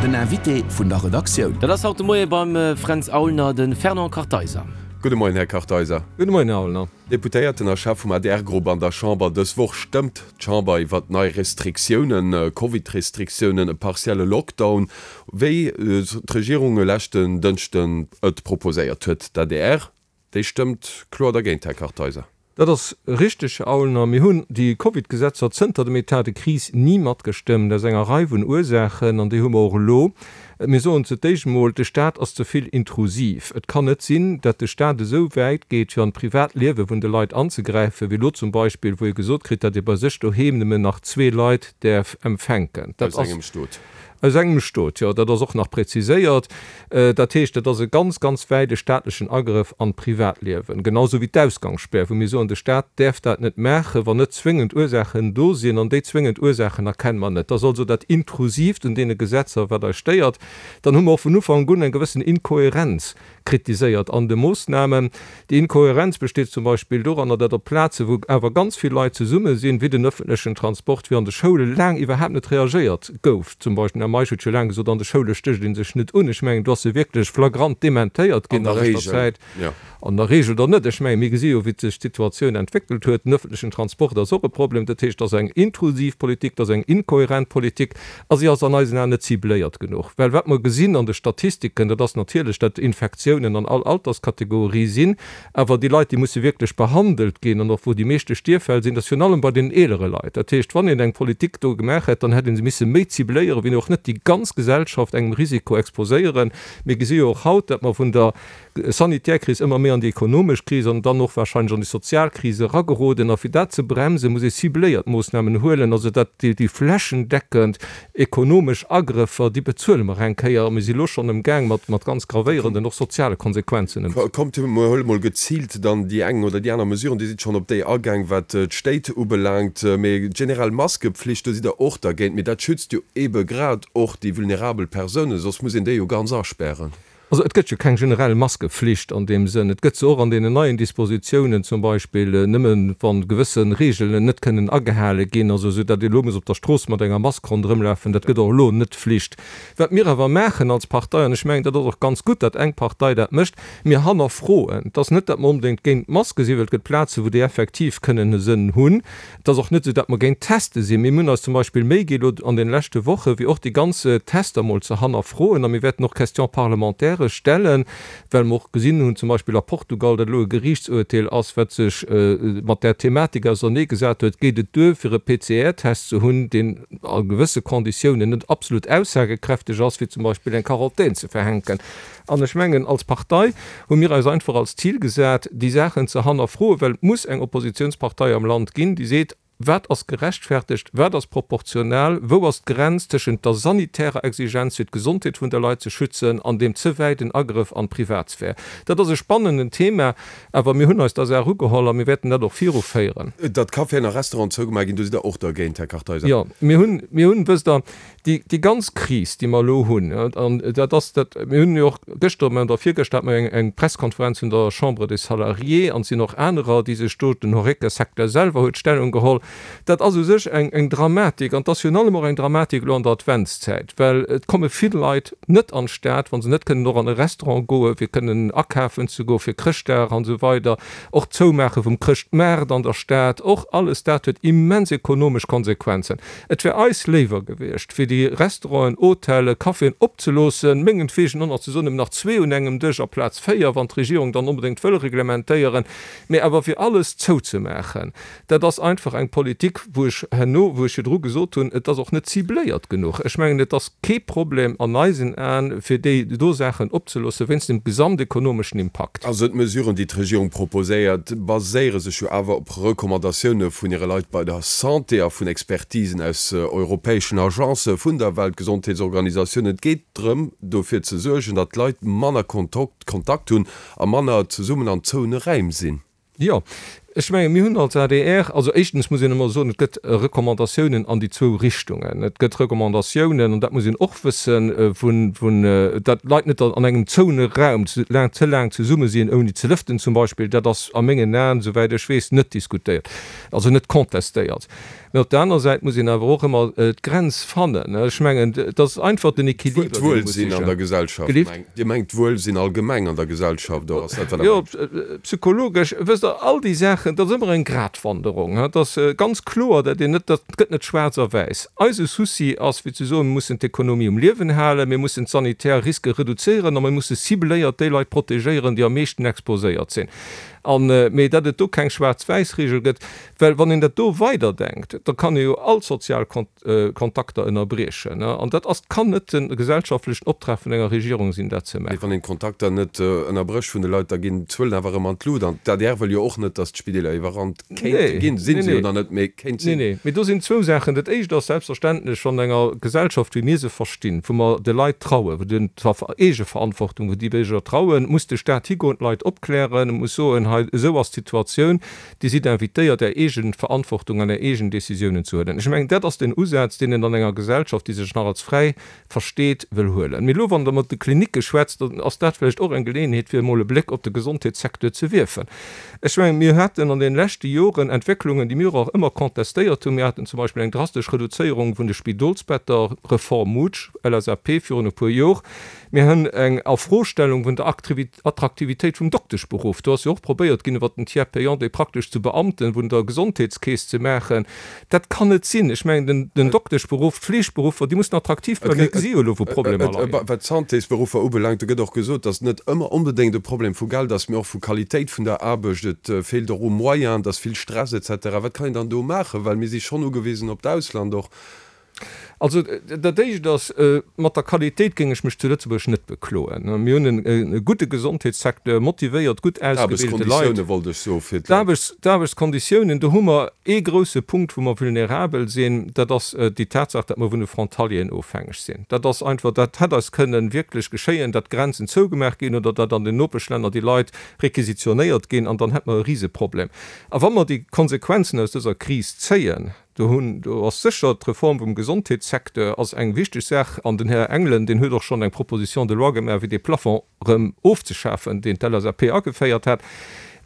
Den Invité vun der Redaktioun. Dat ass haut de Moie beim Fränz Aulner de Fernand Kartheiser. Gudde Moien, Här Kartheiser. Gudde Moien, Här Aulner. Deputéierten a Chef vum ADR-Grupp an der Chamber. Dës Woch stëmmt d'Chamber iwwert nei Restriktiounen, Covid-Restriktiounen, e partielle Lockdown, wéi d'Regierung e leschten Dënschden et proposéiert huet. D'ADR, déi stëmmt kloer dergéint, Här Kartheiser. Dat ass richteg, Här Aulner. Mir hunn déi Covid-Gesetzer zënter dem Etat de crise ni matgestëmmt, aus enger Rei vun Ursaachen, an déi hu mer och elo. Mir soen zu d'éischt emol, de Stat ass ze vill intrusiv. Et kann net sinn, datt de Stat esou wäit geet, fir an d'privat Liewe vun de Leit anzegräifen, wéi elo zum Beispill, wou ee gesot kritt, datt ee bei sech doheem nëmmen nach zwee Leit däerf empfänken. Dat ass. Aus engem Stot. Aus engem Stot, jo, dat ass och nach präziséiert. Dat heescht, dat ass e ganz, ganz wäite staatlechen Agrëff an d'Privatliewen. Genau esou wéi d'Ausgangsspär, wou mir soen, de Stat däerf dat net maachen, wann net zwéngend Ursaachen do sinn. An déi zwéngend Ursaachen erkenne mer net. Dat ass also dat Intrusiivt un deene Gesetzer, wat eis stéiert. Dann hu mer och vun Ufank un eng gewëssen Inkohärenz kritiséiert an de Moossnamen. Déi Inkohärenz besteet zum Beispill doranner, datt op Plaze wou awer ganz vill Leit zesumme sinn, wéi den öffentlechen Transport, wéi an de Schoule laang iwwerhaapt net reagéiert gouf. Zum Beispill, den Här Meisch huet jo laang gesot, an de Schoule stécht ee sech net un. Ech mengen, do ass e wierklech flagrant dementéiert ginn a leschter Zäit. An der Regel dann net. Ech mengen, mir gesi jo, wéi sech d'Situatioun entwéckelt huet. Den öffentlechen Transport ass och e Problem. Dat heescht, et ass eng intrusiv Politik, et ass eng inkohärent Politik a si ass an eisen Aen net cibléiert genuch. Well wat mer gesinn an de Statistiken, dat ass natierlech, datt Infektiounen an all Alterskategorie sinn, awer déi Leit, déi musse wierklech behandelt ginn an och wou déi meeschte Stierffäll sinn, dat ass virun allem bei den eelere Leit. Dat heescht, wann een eng Politik do gemaach hätt, dann hätt ee se misse méi cibléieren, wéi och net déi ganz Gesellschaft engem Risiko exposéieren. Mir gesi jo och haut, datt mer vun der sanitär Kris ëmmer méi an déi ekonomesch Kris an dann och wahrscheinlech an déi sozial Kris erageroden. A fir dat ze bremsen, muss ee cibléiert Moossnamen huelen. Also dat, déi flächendeckend ekonomesch Agrëffer, déi bezuele mer eng Kéier a mir si elo schonn emgaang mat, mat ganz gravéierenden, och soziale Konsequenzen ëmzegoen. Kommt, mir huele mol geziilt dann déi eng oder déi aner Mesuren. Dir sidd schonn op déi agaang, wat d'Stéit ubelaangt. Mee generell Maskepflicht, do sidd Der och dergéint. Mee dat schützt jo eebe grad och déi vulnerabel Persounen, soss muss een déi jo ganz aspären. Also et gëtt jo keng generell Maskeflicht an deem Sënn. Et gëtt se och an deenen neien Dispositiounen zum Beispill nëmmen, wa gewësse Regeln net kënnen agehale ginn, also esou datt ee elo muss op der Strooss mat enger Mask ronderëmlafen, dat gëtt och elo net Flicht. Wat mir awer maachen als Partei, an ech mengen, dat ass och ganz gutt, datt eng Partei dat mécht, mir hannerfroen. Et ass net, datt mer onbedéngt géint d'Maske sinn, well et gëtt Plazen, wou déi effektiv kënnen e Sënn hunn. Et ass och net esou, datt mer géint Teste sinn. Mir hunn eis zum Beispill Méi gi elo an deene leschte Wochen, fir och déi ganz Tester mol ze hannerfroen. A mir wäerten och Question-parlementairë stellen, well mer och gesinn hunn, zum Beispill a Portugal, datt elo e Geriichtsurteel ass, wat sech mat där Thematik auserneegesat huet, Geet et duer, fir e PCR-Test ze hunn, deen a gewësse Konditiounen net absolut aussagekräfteg ass, fir zum Beispill eng Quarantän ze verhänken? An ech mengen, als Partei hu mir eis einfach als Zil gesat, déi Saachen ze hannerfroen, well et muss eng Oppositionspartei am Land ginn, déi seet, Wat ass gerechtfertegt, wat ass proportional, wou ass d'Grenz tëschent der sanitärer Exigenz, fir d'Gesondheet vun de Leit ze schützen, an deem ze wäiten Agrëff an d'Privatsphär? Dat ass e spannenden Thema, awer mir hunn eis der Saach ugeholl a mir wäerten dat och viruféieren. Datt Caféen a Restauranten zougemaach ginn, do sidd Der och dergéint, Här Kartheiser? Jo, mir hunn, mir hunn, wësst Der, Déi, déi ganz Kris, déi mer elo hunn, an dat ass dat, mir hunn jo och gëschter oder virgëschter hate mer eng, eng Presskonferenz vun der Chambre des Salariés, an et sinn och anerer, déi sech do, den Horeca-Secteur selwer huet Stellung geholl, dat ass u sech eng, eng Dramatik. An et ass virun allem och eng Dramatik elo an der Adventszäit, well et komme vill Leit net an d'Stad, wa se net kënnen och an e Restaurant goen, fir kënnen akafen ze goen, fir Chrëschtdag an esou weider. Och d'Zoumaache vum Chrëschtmaart an der Stad, och alles dat huet immens ekonomesch Konsequenzen. Et wär eis léiwer gewiescht, fir déi Restauranten, Hotellen, Caféen opzeloossen, mengenntwegen och nach ze soen, nëmmen nach zwee un engem Dësch aplaz véier, wann d'Regierung dann onbedéngt wëll reglementéieren, mä awer fir alles zouzemaachen, dat ass einfach eng Politik, wou ech herno, wou ech virdru gesot hunn, et ass och net cibléiert genuch. Ech mengen, et ass kee Problem an eisen Aen, fir déi do Saachen opzeloossen, wéinst dem gesamtekonomeschen Impakt. Also d'Mesuren, déi d'Regierung proposéiert, baséiere sech jo awer op Recommandatioune vun hire Leit bei der Santé a vun Expertisen aus europäeschen Agencë vun der Weltgesondheetsorganisatioun. Et geet drëm, dofir ze suergen, datt d'Leit manner Kontakt hunn a manner zesummen an zouene Räim sinn. Jo. Ech menge mir hunn als adr, also éischtens muss een emol soen, et gëtt Recommandatiounen an déi zwou Richtungen. Et gëtt Recommandatiounen, an dat muss een och wëssen, vun, vun, datt Leit net an engem zouene Raum ze laang, ze laang zesumme sinn, ouni ze lëften zum Beispill. Dat ass a mengen Aen, souwäit ech weess, net diskutéiert, also net contestéiert. Mä op der aner Säit muss een awer och ëmmer d'Grenz fannen. Ech mengen, et ass einfach den Equiliber, deen ee muss D'Wuelsinn an sichen. der Gesellschaft, Gelift? mengt Dir mengt d'Wuelsinn allgemeng an der Gesellschaft, oder ass dat, wat Der Jo, mengt? psychologesch, wësst Der, all déi Saachen, dat ass ëmmer eng Gratwanderung. Et ass ganz kloer, datt een net, dat gëtt net schwaarz a wäiss. Eise Souci ass, fir ze soen, mir mussen d'Ekonomie um Liewen halen, mir mussen d'sanitär Riske reduzéieren a mir musse cibléiert déi Leit protegéieren, déi am meeschten exposéiert sinn. An, mee datt et do keng Schwaarz-wäiss-Regel gëtt, Well wann een dat do weiderdenkt, da kann ee jo all sozial Kontakter ënnerbriechen. An dat ass, kann net de gesellschaftlechen Optrag vun enger Regierung sinn, dat ze Mee maachen. wann een d'Kontakter net ënnerbrécht vun de Leit, da ginn d'Zuelen awer erëm an d'Lut. An d'ADR wëll jo och net, datt d'Spideeler iwwerrannt kéinte ginn. Sinn se jo nach net, mee kéint sinn. Nee, nee. Mee do sinn zwou Saachen. Dat Éischt ass selbstverständlech, wann enger Gesellschaft, wéi mir se verstinn, wou mer de Leit trauen, wou den Eegeverantwortung, wou déi Bierger trauen, muss de Staat higoen, d'Leit opklären, muss soen, hei esou ass d'Situatioun, Dir sidd invitéiert, Är eegen Verantwortung an Är eegen Décisiounen ze huelen. Ech mengen, dat ass den Usaz, deen een an enger Gesellschaft, déi sech nach als fräi versteet, wëll huelen. Mee elo, wann Der mat de Klinicke schwätzt, dann ass dat vläicht och eng Geleeënheet, fir emol e Bléck op de Gesondheetssecteur ze wierfen. Ech mengen, mir haten an deene leschte Joren Entwécklungen, déi mir och ëmmer contestéiert hunn. Mir haten zum Beispill eng drastesch Reduzéierung vun de Spidolsbetter, Reform Mutsch, LSAP, virun e puer Jor. Mir hunn eng Afrostellung vun der Attraktivitéit vum Dokteschberuff. Do ass jo och probéiert ginn, iwwert den Tiers payant déi praktesch zu Beamten vun der Gesondheetskeess ze maachen. Dat kann net sinn. Ech mengen, den Dokteschberuff, d'Fleegberuffer, déi mussen attraktiv bleiwen. Mir gesi jo elo, wou Problemer leien. Wat d'Santésberuffer ubelaangt, do gëtt och gesot, datt et net ëmmer onbedéngt e Problem vu Geld ass, mee och vu Qualitéit vun der Aarbecht. Et feelt och u Moyens, et ass vill Stress et cetera. Wat kann een dann do maachen? Well mir si schonn ugewisen op d'Ausland och. Also dat Éischt ass, mat der Qualitéit géing ech mech zu Lëtzebuerg net bekloen. Mir hunn e gudde Gesondheetssecteur, motivéiert, gutt ausgebilte Leit. D'Aarbechtskonditioune wollt ech soe fir d'Leit. D'Aarbechtskonditiounen, do hu mer ee grouse Punkt, wou mer vulnerabel sinn, dat ass déi Tatsaach, datt mer vun de Frontalieren ofhängeg sinn. Dat ass einfach, dat hätt eis kënnen wierklech geschéien, datt d'Grenzen zougemaach ginn oder datt an den Nopeschlänner déi Leit requisitionéiert ginn an dann hätt mer e Riseproblem. A wa mer déi Konsequenzen aus dëser Kris zéien, Do hunn, do ass sécher d'Reform vum Gesondheetssecteur ass eng wichteg Saach. An den Här Engelen, deen huet och schonn eng Proposition de loi gemaach, fir dee Plafond erëm ofzeschafen, deen d'LSAP ageféiert hat.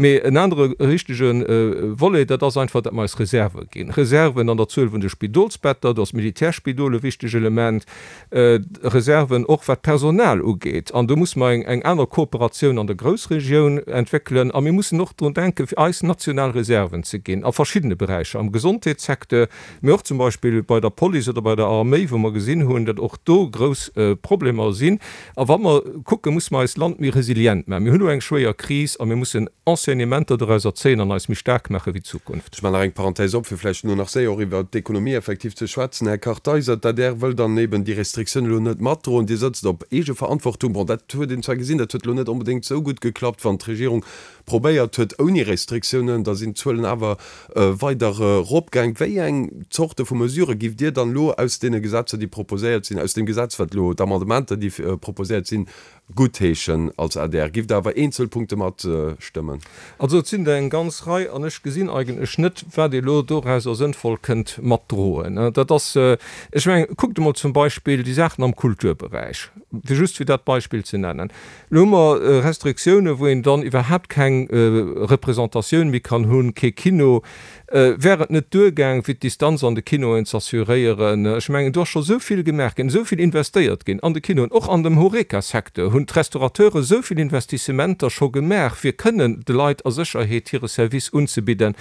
Mee en anere richtege Volet, dat ass einfach, datt mer eis Reserve ginn. Reserven an der Zuel vun de Spidolsbetter, do ass d'Militärspidol e wichteg Element. Reserven och wat d'Personal ugeet. An do musse mer eng aner Kooperatioun an der Groussregioun entwéckelen. A mir mussen och drun denken, fir eis national Reserven ze ginn a verschiddene Beräicher, am Gesondheetssecteur, mee och zum Beispill bei der Police oder bei der Arméi, wou mer gesinn hunn, datt och do grouss Problemer sinn. A wa mer kucken, musse mer eist Land méi resilient maachen. Mir hunn elo eng schwéier Kris a mir mussen Enseignementer dorauser zéien an eis méi staark maache fir d'Zukunft. Ech maachen nach eng Parenthèse op, fir vläicht elo nach séier och iwwert d'Ekonomie effektiv ze schwätzen. Här Kartheiser, d'ADR wëll dann eben déi Restriktioun elo net matdroen. Dir sëtzt op Eegeverantwortung. Bon, dat huet een zwar gesinn, dat huet elo net onbedéngt esou gutt geklappt, wann d'Regierung probéiert huet ouni Restriktiounen, da sinn d'Zuelen awer weider eropgaang. Wéi eng Zorte vu Mesurë giff Dir dann elo aus deene Gesetzer, déi proposéiert sinn, aus deem Gesetz, wat elo, d'Amendementer, déi proposéiert sinn, guttheeschen als adr? Giff Der awer eenzel Punkte matstëmmen? Also et sinn der eng ganz Rei an ech gesinn eigentlech net, wat ee lo dorauser sënnvoll kënnt matdroen. Dat ass, ech mengen, kuckt emol zum Beispill déi Saachen am Kulturberäich, fir just fir dat Beispill ze nennen. Elo hu mer Restriktiounen, wou een dann iwwerhaapt keng Representatioun méi kann hunn, kee Kino. Wär et net duergaang, fir d'Distanz an de Kinoen z'assuréieren? Ech mengen, do ass scho sou vill gemaach ginn, esou vill investéiert ginn an de Kinoen. Och an dem Horeca-Secteur hunn d'Restaurateure sou vill Investissementer scho gemaach, fir kënnen de Leit a Sécherheet hire Service unzebidden.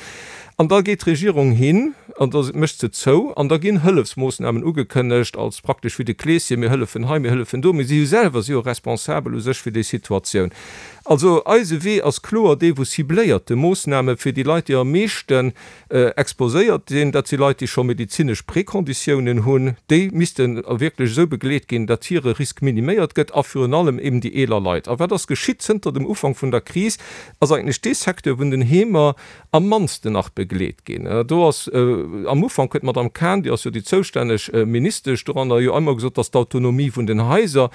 An da geet d'Regierung hin an da mécht se zou an da ginn Hëllefsmoossnamen ugekënnegt als praktesch wéi de Kleeschen, mir hëllefen hei, mir hëllefen do, mee si hu selwer si jo responsabel u sech fir déi Situatioun. Also eise Wee ass kloer dee vu cibléierte Moossname fir déi Leit, déi am meeschten exposéiert sinn. Dat si Leit, déi scho medezinesch Prekonditiounen hunn. Déi misste wierklech esou begleet ginn, datt hire Risk miniméiert gëtt a virun allem eben déi eeler Leit. A wat ass geschitt zënter dem Ufank vun der Kris? Ass eigentlech dee Secteur vun den Heemer am mannsten nach begleet ginn. Do ass Am Ufank huet d'Madame Cahen, déi ass jo déi zoustänneg Ministesch doranner, jo ëmmer gesot, dass d'Autonomie vun den Haiser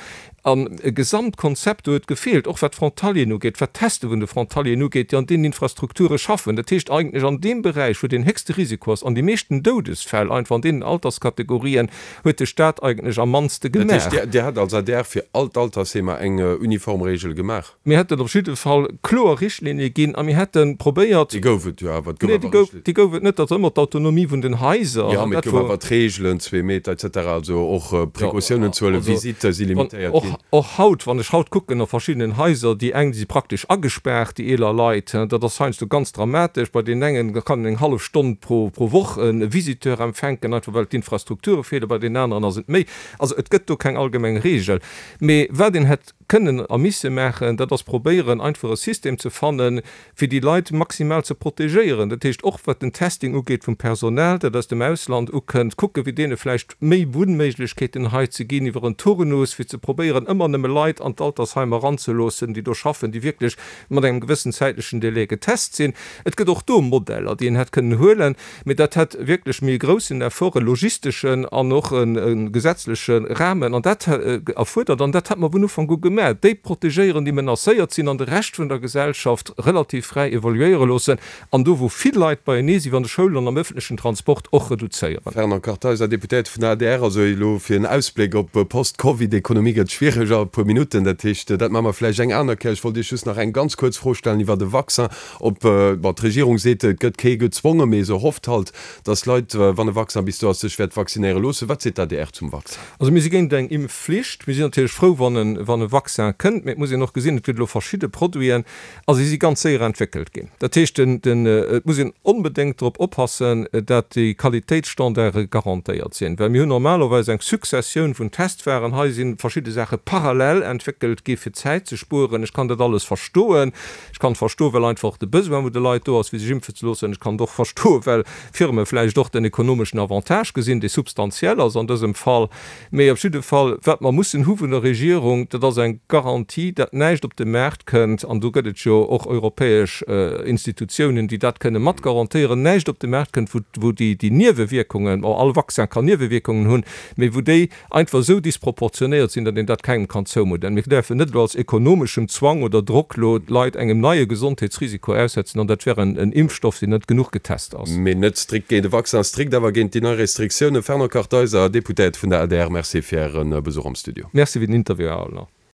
an e Gesamtkonzept do huet gefeelt, och wat d'Frontalieren ugeet, wat d'Teste vun de Frontalieren ugeet, déi an deenen Infrastrukture schaffen. Dat heescht eigentlech an deem Beräich, wou deen héchste Risiko ass an déi meeschten Doudesfäll einfach an deenen Alterskategorien, huet de Stat eigentlech am mannste Dat heescht, gemaach. Dir hätt als adr fir all d'Altersheemer eng uniform Regel gemaach? Mir hätten op jidde Fall kloer Richtlinie ginn a mir hätte probéiert. Déi gouf et jo awer. Et gouf Nee, déi awer gouf, Richtlinien. déi gouf et net. Dat ass ëmmer d'Autonomie vun den Haiser. Jo, mee et gouf awer d'Regelen, zwee Meter et cetera, also och Precautiounen ze huelen, Visitte si limitéiert ginn. Och haut, wann ech haut kucken a verschiddenen Haiser, déi eng, déi si praktesch agespaart, déi eeler Leit, dat ass heiansdo ganz dramatesch. Bei deenen engen kann een eng hallef Stonn pro Woch e Visiteur empfänken, einfach well d'Infrastrukture feelen, bei deenen aneren ass et méi. Also et gëtt do keng allgemeng Regel. Mee wat een hätt kënnen a misse maachen, dat ass probéieren, einfach e System ze fannen, fir déi Leit maximal ze protegéieren. Dat heescht och, wat den Testing ugeet vum Personal, dat aus dem Ausland ukënnt, kucken, fir deene vläicht méi Wunnméiglechkeeten hei ze ginn iwwer en Turnus, fir ze probéieren, ëmmer nëmme Leit an d'Altersheimer eranzeloossen, déi do schaffen, déi wierklech mat engem gewëssen zäitlechen Délai getest sinn. Et gëtt och do Modeller, déi een hätt kënnen huelen. Mee dat hätt wierklech méi e groussen Effort, e logisteschen an och e gesetzleche Rahmen an dat erfuerdert. An dat hätt mer vun Ufank u gemaach, déi protegéieren, déi menacéiert sinn, an de Rescht vun der Gesellschaft relativ fräi evoluéiere loossen an do, wou vill Leit beienee sinn, wéi an de Schoulen an am öffentlechen Transport, och reduzéieren. Fernand Kartheiser, Deputéierte vun der adr, Also elo fir en Ausbléck op Post-Covid-Ekonomie gëtt schwiereg a e puer Minutten. Dat heescht, dat maache mer vläicht eng aner Kéier. Ech wollt Iech just nach eng ganz kuerz Fro stellen iwwert e Vaccin. Ob, bon, d'Regierung seet, et gëtt kee gezwongen, mee se hofft halt, datt Leit, wann e Vaccin bis do ass, sech wäert vaccinéiere loossen. Wat seet d'ADR zum Vaccin? Also mir si géint eng Impfflicht. Mir sinn natierlech frou, wann e, wann e Vaccin kënnt. Mee et muss een och gesinn, et gëtt elo verschidde Produiten a si si ganz séier entwéckelt ginn. Dat heescht, den, den, et muss een onbedéngt drop oppassen, dat déi Qualitéitsstandarde garantéiert sinn. Well mir hunn normalerweis eng Successioun vun Testwaren. Hei si verschidde Saache parallel entwéckelt gi fir Zäit ze spueren. Ech kann dat alles verstoen. Ech kann et verstoen, well einfach och de Besoin vun de Leit do ass, fir sech impfen ze loossen. Ech kann et och verstoen, well Firme vläicht och den ekonomeschen Avantage gesinn, dee substantiell ass an dësem Fall. Mee op jidde Fall, wat mer mussen hu vun der Regierung, dat ass eng Garantie, datt näischt op de Maart kënnt, an do gëtt et jo och europäesch Institutiounen, déi dat kënne mat garantéieren, näischt op de Maart kënnt, wou déi Niewewierkungen, bon, all Vaccin kann Niewewierkungen hunn, mee wou déi einfach esou disproportionéiert sinn, datt een dat kengem kann zoumudden. Mir däerfen net elo als ekonomeschem Zwang oder Drock elo d'Leit engem neie Gesondheetsrisiko aussetzen, an dat wär en Impfstoff, deen net genuch getest ass. Mee net strikt géint e Vaccin, strikt awer géint déi nei Restriktiounen. Fernand Kartheiser, Deputéierte vun der adr, Merci fir Äre Besuch am Studio. Merci fir den Interview, Här Aulner.